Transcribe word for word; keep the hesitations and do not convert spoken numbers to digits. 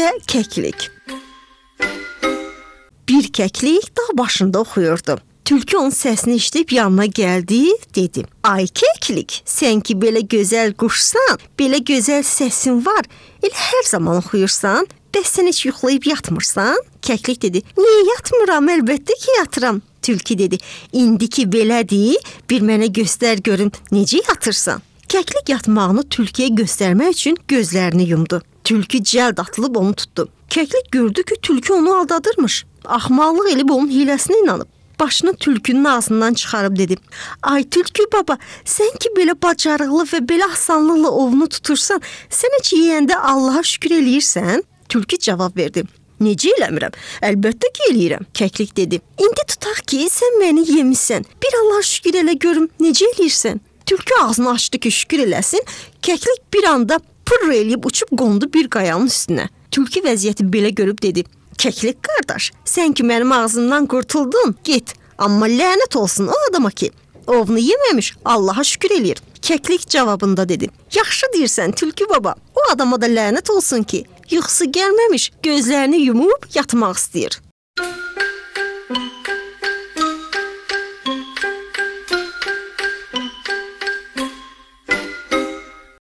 və kəklik. Bir kəklik dağ başında oxuyurdu. Tülkü onun səsini eşidib yanına gəldi, dedi: "Ay kəklik, sən ki belə gözəl quşsan, belə gözəl səsin var, elə hər zaman oxuyursan, bəs sən heç yuxlayıb yatmırsan?" Kəklik dedi: "Niyə yatmıram? Əlbəttə ki, yatıram." Tülkü dedi: "İndi ki belədir, bir mənə göstər görüm, necə yatırsan?" Kəklik yatmağını tülküyə göstərmək üçün gözlərini yumdu. Tülkü cəld atılıb onu tutdu. Kəklik gördü ki, tülkü onu aldadırmış. Axmaqlıq elib onun hiləsinə inanıb. Başını tülkünün ağzından çıxarıb dedi: "Ay tülkü baba, sən ki belə bacarıqlı və belə asanlıqla ovunu tutursan, sən heç yeyəndə Allaha şükür eləyirsən?" Tülkü cavab verdi: "Necə eləmirəm? Əlbəttə ki, eləyirəm." Kəklik dedi: "İndi tutaq ki, sən məni yemisən. Bir Allaha şükür elə görüm, necə eləyirsən?" Tülkü ağzını açdı ki, şükür eləsin. Kəklik bir anda pırr eləyib uçub qondu bir qayanın üstünə. Tülkü vəziyyəti belə görüb dedi: "Kəklik qardaş, sən ki mənim ağzımdan qurtuldun, get. Amma lənət olsun o adama ki, ovunu yeməmiş Allaha şükür eləyir." Kəklik cavabında dedi: "Yaxşı deyirsən tülkü baba, o adama da lənət olsun ki, yuxusu gəlməmiş gözlərini yumub yatmaq istəyir."